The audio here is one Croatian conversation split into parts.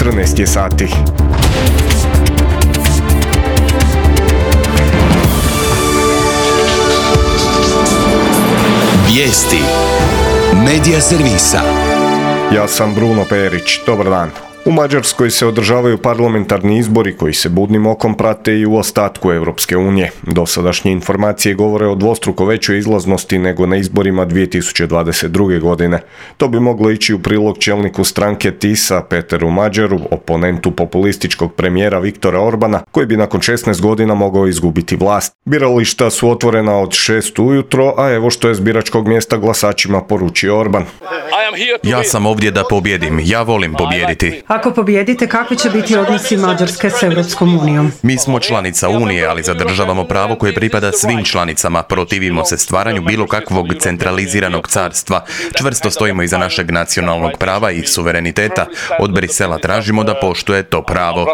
14 je sati. Vijesti Medija servisa. Ja sam Bruno Perić, dobar dan. U Mađarskoj se održavaju parlamentarni izbori koji se budnim okom prate i u ostatku Europske unije. Dosadašnje informacije govore o dvostruko većoj izlaznosti nego na izborima 2022. godine. To bi moglo ići u prilog čelniku stranke TISA Peteru Mađaru, oponentu populističkog premijera Viktora Orbana, koji bi nakon 16 godina mogao izgubiti vlast. Birališta su otvorena od 6 ujutro, a evo što je s biračkog mjesta glasačima poručio Orban. Ja sam ovdje da pobjedim, ja volim pobijediti. Ako pobijedite, kakvi će biti odnosi Mađarske s Europskom unijom? Mi smo članica Unije, ali zadržavamo pravo koje pripada svim članicama. Protivimo se stvaranju bilo kakvog centraliziranog carstva. Čvrsto stojimo iza našeg nacionalnog prava i suvereniteta. Od Brisela tražimo da poštuje to pravo.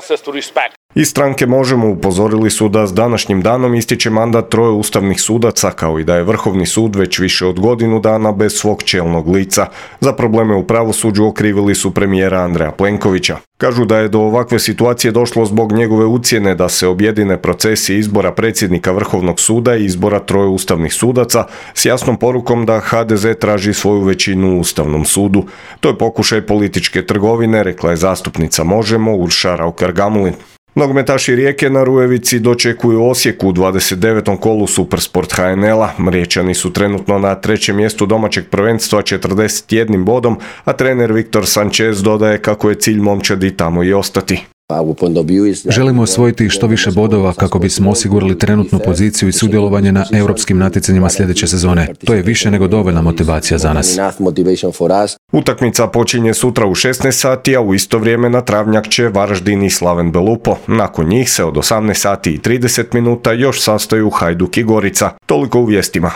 Iz stranke Možemo upozorili su da s današnjim danom ističe mandat 3 ustavnih sudaca, kao i da je Vrhovni sud već više od godinu dana bez svog čelnog lica. Za probleme u pravosuđu okrivili su premijera Andreja Plenkovića. Kažu da je do ovakve situacije došlo zbog njegove ucjene da se objedine procesi izbora predsjednika Vrhovnog suda i izbora 3 ustavnih sudaca s jasnom porukom da HDZ traži svoju većinu u Ustavnom sudu. To je pokušaj političke trgovine, rekla je zastupnica Možemo Urša Raukar-Gamulin. Nogometaši Rijeke na Rujevici dočekuju Osijek u 29. kolu Supersport HNL-a. Riječani su trenutno na 3. mjestu domaćeg prvenstva 41 bodom, a trener Viktor Sanchez dodaje kako je cilj momčadi tamo i ostati. Želimo osvojiti što više bodova kako bismo osigurali trenutnu poziciju i sudjelovanje na europskim natjecanjima sljedeće sezone. To je više nego dovoljna motivacija za nas. Utakmica počinje sutra u 16 sati, a u isto vrijeme na travnjak će Varaždin i Slaven Belupo. Nakon njih se od 18 sati i 30 minuta još sastaju Hajduk i Gorica. Toliko u vijestima.